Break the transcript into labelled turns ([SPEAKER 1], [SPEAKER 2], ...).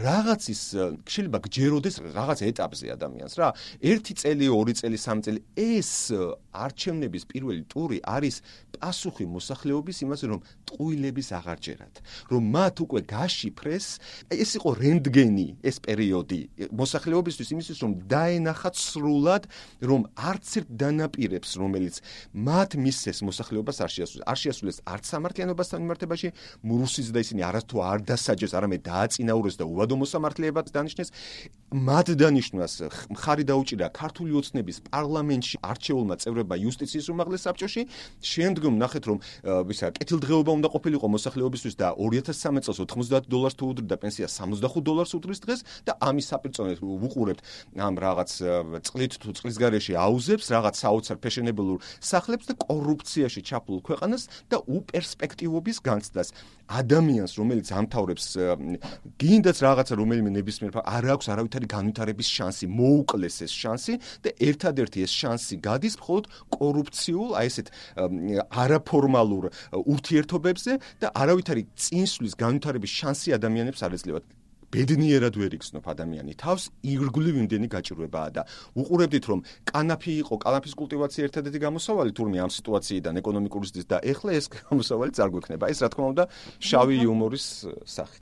[SPEAKER 1] რაღაცის შეიძლება გჯეროდეს რაღაც ეტაპზე ადამიანს რა. 1 წელი, 2 წელი, 3 წელი ეს არჩევნების პირველი ტური არის პასუხი მოსახლეობის იმაზე, რომ ტყუილების აღარ ჯერათ, რომ მათ უკვე გაშიფრეს, ეს იყო რენტგენი ეს პერიოდი მოსახლეობისთვის იმისთვის, რომ დაენახათ სრულად, რომ არც ერთ დანაპირებს, რომელიც მათ მისცეს მოსახლეობას არ შეასრულეს არც სამართლიანობასთან მიმართებაში, მურუსიც და ისინი არასდროს არ დასაჯეს, არამედ დააწინაურეს და უვადო მოსამართლეებად დანიშნეს. მათ დანიშნვას მხარი დაუჭირა ქართული ოცნების პარლამენტში არჩეულმა წევრებმა იუსტიციის უმაღლეს საბჭოში. შემდგომ ნახეთ, რომ კეთილდღეობა უნდა ყოფილიყო მოსახლეობისთვის და 2013 წელს $90 თუ უდრიდა პენსია $65 უდრის დღეს და ამის საპირწონედ ვუყურებთ ამ რაღაც წყლით თუ წყლის გარეშე აუზებს, რაღაც საოცარ ფეშენებელურ სახლებს და კორუფციაში ჩაფლულ ქვეყანას და უპერსპექტივობის განცდას. ადამიანს, რომელიც ამთავრებს გინდაც რაღაცა რომელიმე ნებისმიერ არ აქვს არავითარი განვითარების შანსი, მოუკლეს ეს შანსი და ერთადერთი ეს შანსი გადის მხოლოდ კორუფციულ, აი ესეთ არაფორმალურ ურთიერთობებზე და არავითარი წინსვლის განვითარების შანსი ადამიანებს არ ეძლევათ. ბედნიერად ვერ იგრძნობ ადამიანი თავს, ირგვლივ იმდენი გაჭირვებაა და უყურებდით, რომ კალაფის კულტივაცია ერთადერთი გამოსავალი თურმე ამ სიტუაციიდან ეკონომიკური ზრდის და ეხლა ეს გამოსავალი წარ გვექნება. ეს რა თქმა უნდა შავი იუმორის სახით.